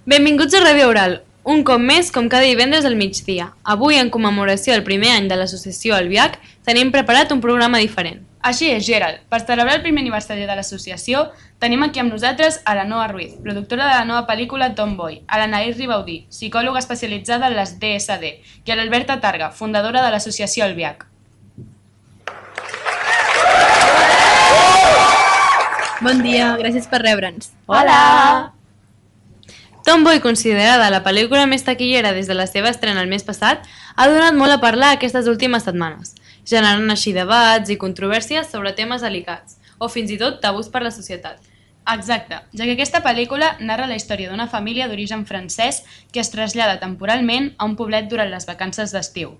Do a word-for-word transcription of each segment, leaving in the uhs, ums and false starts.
Benvinguts a Ràdio Oral, un cop més com cada divendres al migdia. Avui, en commemoració del primer any de l'associació Albiach, tenim preparat un programa diferent. Així és, Gerald. Per celebrar el primer aniversari de l'associació, tenim aquí amb nosaltres a la Noa Ruiz, productora de la nova pel·lícula Tomboy, a l'Anaïs Ribaudí, psicòloga especialitzada en les D S D, i a l'Alberta Targa, fundadora de l'associació Albiach. Bon dia, gràcies per rebre'ns. Hola! Tomboy, considerada la pel·lícula més taquillera des de la seva estrena el mes passat, ha donat molt a parlar aquestes últimes setmanes, generant així debats i controvèrsies sobre temes delicats, o fins i tot tabús per la societat. Exacte, ja que aquesta pel·lícula narra la història d'una família d'origen francès que es trasllada temporalment a un poblet durant les vacances d'estiu.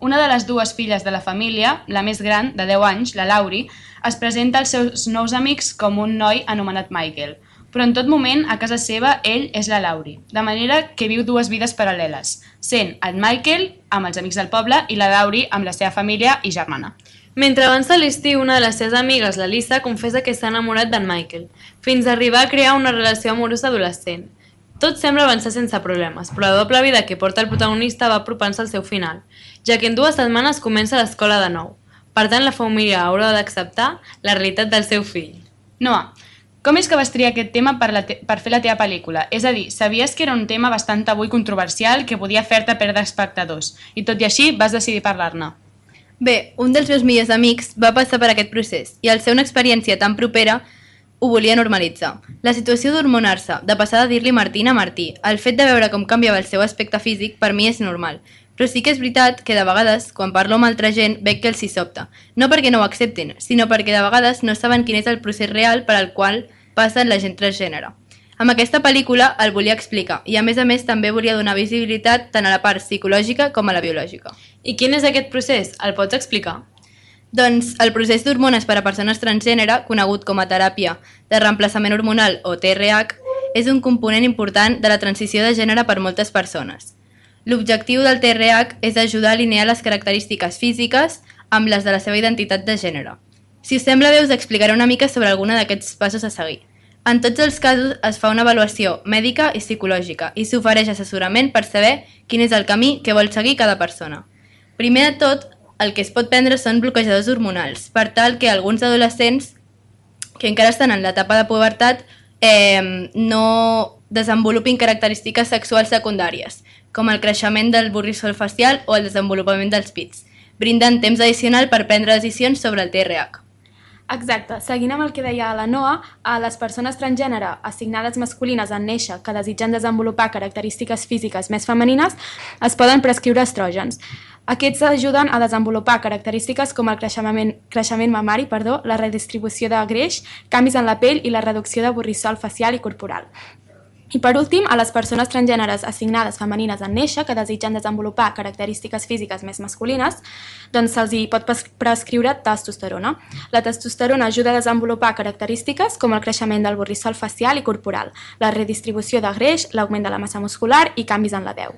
Una de les dues filles de la família, la més gran, de deu anys, la Laurie, es presenta als seus nous amics com un noi anomenat Michael, però en tot moment, a casa seva, ell és la Laurie, de manera que viu dues vides paral·leles, sent el Michael amb els amics del poble i la Laurie amb la seva família i germana. Mentre avança l'estiu, una de les seves amigues, la Lisa, confessa que s'ha enamorat d'en Michael, fins a arribar a crear una relació amorosa adolescent. Tot sembla avançar sense problemes, però la doble vida que porta el protagonista va apropant-se al seu final, ja que en dues setmanes comença l'escola de nou. Per tant, la família haurà d'acceptar la realitat del seu fill. Noa, com és que vas triar aquest tema per, la te per fer la teva pel·lícula? És a dir, sabies que era un tema bastant tabú i controversial que podia fer-te perdre espectadors, i tot i així vas decidir parlar-ne. Bé, un dels meus millors amics va passar per aquest procés i al ser una experiència tan propera ho volia normalitzar. La situació d'hormonar-se, de passar de dir-li Martina a Martí, el fet de veure com canviava el seu aspecte físic, per mi és normal. Però sí que és veritat que de vegades, quan parlo amb altra gent, veig que els hi sobta. No perquè no ho acceptin, sinó perquè de vegades no saben quin és el procés real per al qual passa la gent transgènere. Amb aquesta pel·lícula el volia explicar i a més a més també volia donar visibilitat tant a la part psicològica com a la biològica. I quin és aquest procés? El pots explicar? Doncs el procés d'hormones per a persones transgènere, conegut com a teràpia de reemplaçament hormonal o T R H, és un component important de la transició de gènere per moltes persones. L'objectiu del T R H és ajudar a alinear les característiques físiques amb les de la seva identitat de gènere. Si us sembla bé, us explicaré una mica sobre alguna d'aquests passos a seguir. En tots els casos es fa una avaluació mèdica i psicològica i s'ofereix assessorament per saber quin és el camí que vol seguir cada persona. Primer de tot, el que es pot prendre són bloquejadors hormonals, per tal que alguns adolescents que encara estan en l'etapa de pubertat eh, no desenvolupin característiques sexuals secundàries, com el creixement del borrissol facial o el desenvolupament dels pits, brindant temps addicional per prendre decisions sobre el T R H. Exacte. Seguint amb el que deia la Noa, a les persones transgènere assignades masculines en néixer que desitgen desenvolupar característiques físiques més femenines es poden prescriure estrògens. Aquests ajuden a desenvolupar característiques com el creixement, creixement mamari, perdó, la redistribució de greix, canvis en la pell i la reducció de borrissol facial i corporal. I per últim, a les persones transgèneres assignades femenines en néixer que desitgen desenvolupar característiques físiques més masculines, doncs se'ls hi pot prescriure testosterona. La testosterona ajuda a desenvolupar característiques com el creixement del borrissol facial i corporal, la redistribució de greix, l'augment de la massa muscular i canvis en la veu.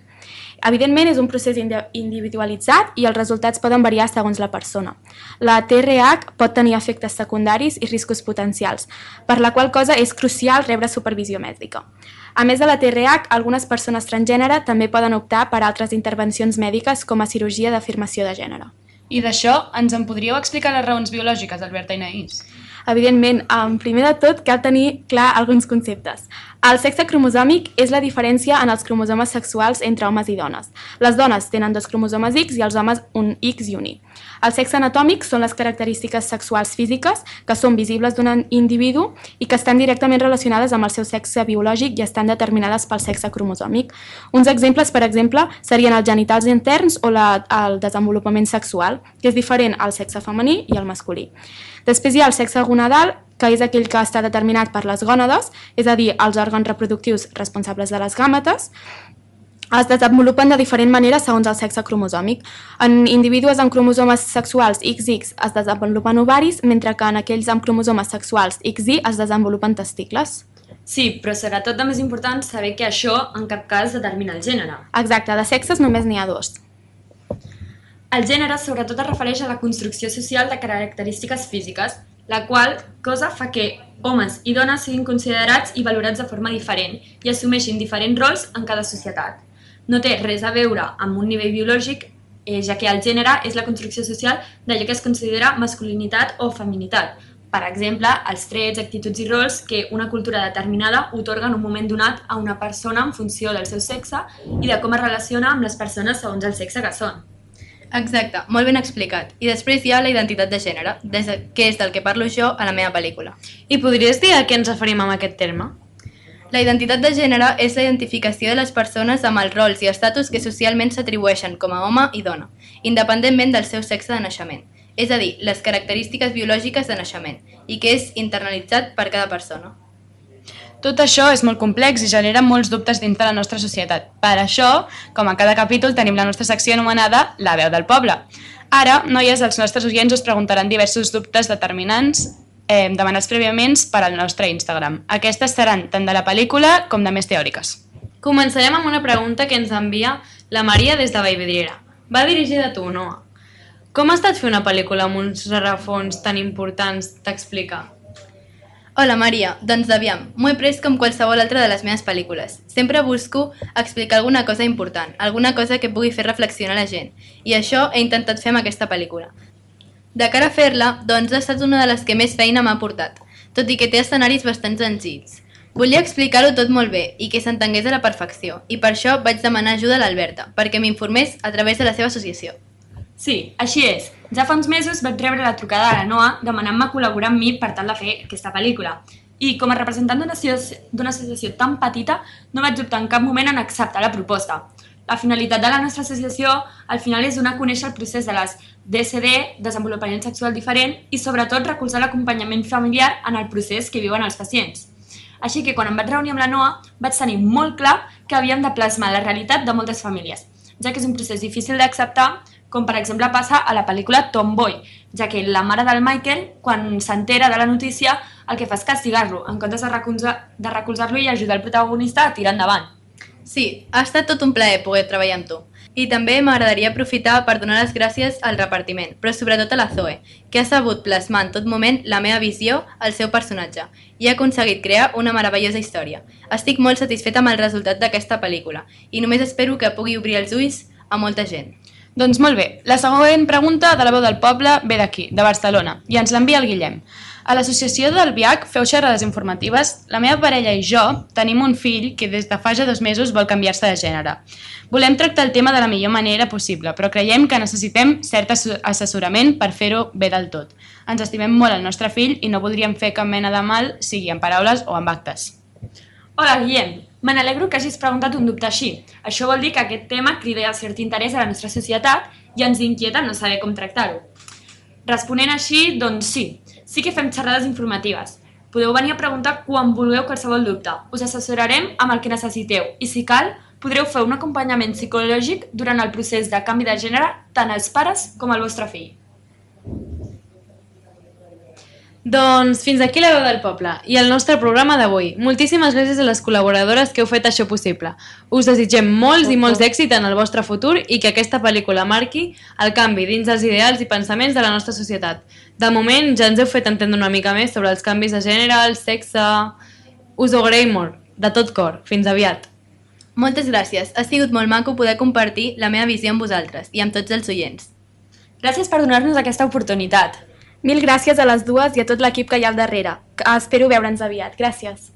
Evidentment, és un procés individualitzat i els resultats poden variar segons la persona. La T R H pot tenir efectes secundaris i riscos potencials, per la qual cosa és crucial rebre supervisió mèdica. A més de la T R H, algunes persones transgènere també poden optar per altres intervencions mèdiques com a cirurgia d'afirmació de gènere. I d'això, ens en podríeu explicar les raons biològiques, Alberta i Naïs? Evidentment, primer de tot cal tenir clar alguns conceptes. El sexe cromosòmic és la diferència en els cromosomes sexuals entre homes i dones. Les dones tenen dos cromosomes X i els homes un X i un Y. El sexe anatòmic són les característiques sexuals físiques que són visibles d'un individu i que estan directament relacionades amb el seu sexe biològic i estan determinades pel sexe cromosòmic. Uns exemples, per exemple, serien els genitals interns o la, el desenvolupament sexual, que és diferent al sexe femení i al masculí. Després hi ha el sexe gonadal, que és aquell que està determinat per les gònades, és a dir, els òrgans reproductius responsables de les gàmetes. Es desenvolupen de diferent manera segons el sexe cromosòmic. En individus amb cromosomes sexuals X X es desenvolupen ovaris, mentre que en aquells amb cromosomes sexuals X Y es desenvolupen testicles. Sí, però serà tot de més important saber que això en cap cas determina el gènere. Exacte, de sexes només n'hi ha dos. El gènere sobretot es refereix a la construcció social de característiques físiques la qual cosa fa que homes i dones siguin considerats i valorats de forma diferent i assumeixin diferents rols en cada societat. No té res a veure amb un nivell biològic, eh, ja que el gènere és la construcció social d'allò que es considera masculinitat o feminitat. Per exemple, els trets, actituds i rols que una cultura determinada otorga en un moment donat a una persona en funció del seu sexe i de com es relaciona amb les persones segons el sexe que són. Exacte, molt ben explicat. I després hi ha la identitat de gènere, des de, que és del que parlo jo a la meva pel·lícula. I podries dir a què ens referim amb aquest terme? La identitat de gènere és la identificació de les persones amb els rols i estatus que socialment s'atribueixen com a home i dona, independentment del seu sexe de naixement, és a dir, les característiques biològiques de naixement, i que és internalitzat per cada persona. Tot això és molt complex i genera molts dubtes dins de la nostra societat. Per això, com a cada capítol, tenim la nostra secció anomenada La veu del poble. Ara, noies, els nostres oients us preguntaran diversos dubtes determinants eh, demanats prèviament per al nostre Instagram. Aquestes seran tant de la pel·lícula com de més teòriques. Començarem amb una pregunta que ens envia la Maria des de Vallvidrera. Va dirigida a tu, Noa. Com ha estat fer una pel·lícula amb uns rerefons tan importants? T'explica. Hola Maria, doncs aviam, m'ho he pres com qualsevol altra de les meves pel·lícules. Sempre busco explicar alguna cosa important, alguna cosa que pugui fer reflexionar la gent, i això he intentat fer amb aquesta pel·lícula. De cara a fer-la, doncs ha estat una de les que més feina m'ha portat, tot i que té escenaris bastant senzills. Volia explicar-ho tot molt bé i que s'entengués a la perfecció, i per això vaig demanar ajuda a l'Alberta, perquè m'informés a través de la seva associació. Sí, així és. Ja fa uns mesos vaig rebre la trucada de la Noa demanant-me col·laborar amb mi per tal de fer aquesta pel·lícula. I com a representant d'una associació tan petita, no vaig dubtar en cap moment en acceptar la proposta. La finalitat de la nostra associació al final és donar a conèixer el procés de les D S D, desenvolupament sexual diferent, i sobretot recolzar l'acompanyament familiar en el procés que viuen els pacients. Així que quan em vaig reunir amb la Noa vaig tenir molt clar que havíem de plasmar la realitat de moltes famílies, ja que és un procés difícil d'acceptar, com per exemple passa a la pel·lícula Tomboy, ja que la mare del Michael, quan s'entera de la notícia, el que fa és castigar-lo, en comptes de recolzar- de recolzar-lo i ajudar el protagonista a tirar endavant. Sí, ha estat tot un plaer poder treballar amb tu. I també m'agradaria aprofitar per donar les gràcies al repartiment, però sobretot a la Zoe, que ha sabut plasmar en tot moment la meva visió al seu personatge i ha aconseguit crear una meravellosa història. Estic molt satisfeta amb el resultat d'aquesta pel·lícula i només espero que pugui obrir els ulls a molta gent. Doncs molt bé, la següent pregunta de la veu del poble ve d'aquí, de Barcelona, i ens l'envia el Guillem. A l'associació del V I H feu xerrades informatives. La meva parella i jo tenim un fill que des de fa ja dos mesos vol canviar-se de gènere. Volem tractar el tema de la millor manera possible, però creiem que necessitem cert assessorament per fer-ho bé del tot. Ens estimem molt el nostre fill i no voldríem fer cap mena de mal, sigui en paraules o en actes. Hola, Guillem. Me n'alegro que hagis preguntat un dubte així. Això vol dir que aquest tema crida cert interès a la nostra societat i ens inquieta no saber com tractar-ho. Responent així, doncs sí. Sí que fem xerrades informatives. Podeu venir a preguntar quan vulgueu qualsevol dubte. Us assessorarem amb el que necessiteu i, si cal, podreu fer un acompanyament psicològic durant el procés de canvi de gènere tant als pares com al vostre fill. Doncs fins aquí la veu del poble i el nostre programa d'avui. Moltíssimes gràcies a les col·laboradores que heu fet això possible. Us desitgem molts i molts d'èxit en el vostre futur i que aquesta pel·lícula marqui el canvi dins dels ideals i pensaments de la nostra societat. De moment ja ens heu fet entendre una mica més sobre els canvis de gènere, el sexe... Us ho agraïm molt, de tot cor. Fins aviat. Moltes gràcies. Ha sigut molt maco poder compartir la meva visió amb vosaltres i amb tots els oients. Gràcies per donar-nos aquesta oportunitat. Mil gràcies a les dues i a tot l'equip que hi ha al darrere. Espero veure'ns aviat. Gràcies.